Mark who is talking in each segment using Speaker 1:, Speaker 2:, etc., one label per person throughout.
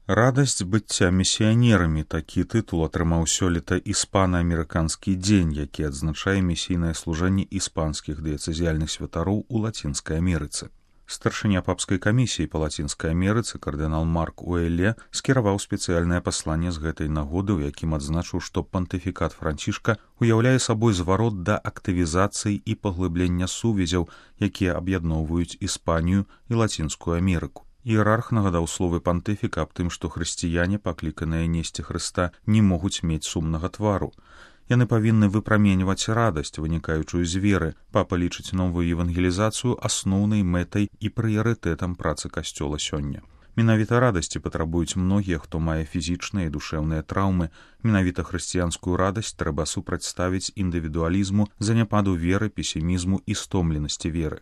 Speaker 1: Радасць быцця місіянерамі — такі тытул атрымаў сёлета іспана-амерыканскі дзень, які адзначае місійнае служэнне іспанскіх дыяцэзіяльных святароў у Лацінскай Амерыцы. Старшыня папскай камісіі па Лацінскай Амерыцы кардынал Марк Уэлле скіраваў спецыяльнае пасланне з гэтай нагоды, у якім адзначыў, што пантыфікат Францішка уяўляе сабой зварот да актывізацыі і паглыблення сувязяў, якія аб'ядноўваюць Іспанію і Лацінскую Амерыку. Іерарх нагадаў словы пантыфіка аб тым, што хрысціяне, пакліканыя несці Хрыста, не могуць мець сумнага твару. Яны павінны выпраменьваць радасць, вынікаючую з веры. Папа лічыць новую евангелізацыю асноўнай мэтай і прыярытэтам працы касцёла сёння. Менавіта радасці патрабуюць многія, хто мае фізічныя і душэўныя траўмы. Менавіта хрысціянскую радасць трэба супрацьставіць індывідуалізму, заняпаду веры, песімізму і стомленасці веры.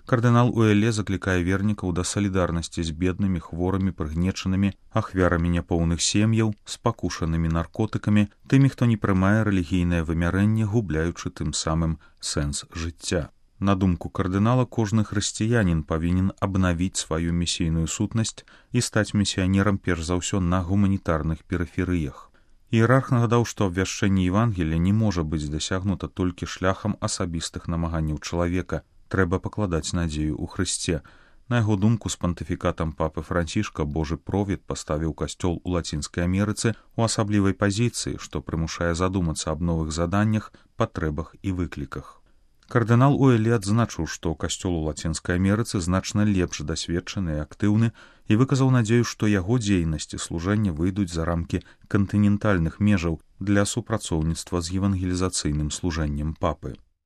Speaker 1: Кардынал Уэлле заклікае вернікаў да салідарнасці з беднымі, хворымі, прыгнечанымі, ахвярамі няпоўных сем'яў, спакушанымі наркотыкамі, тымі, хто не прымае рэлігійнае вымярэнне, губляючы тым самым сэнс жыцця. На думку кардынала, кожны хрысціянін павінен абнавіць сваю місійную сутнасць і стаць місіянерам перш за ўсё на гуманітарных перыферыях. Іерарх нагадаў, што абвяшчэнне Евангелія не можа быць дасягнута толькі шляхам асабістых намаганняў чалавека. Трэба пакладаць надзею ў Хрысце. На яго думку, з пантыфікатам папы Францішка Божы провід паставіў касцёл у Лацінскай Амерыцы ў асаблівай пазіцыі, што прымушае задумацца аб новых заданнях, патрэбах і выкліках. Кардынал Уэлле адзначыў, што касцёл у Лацінскай Амерыцы значна лепш дасведчаны і актыўны, і выказаў надзею, што яго дзейнасць і служэнне выйдуць за рамкі кантынентальных межаў для супрацоўніцтва з евангелізацыйным служэннем папы.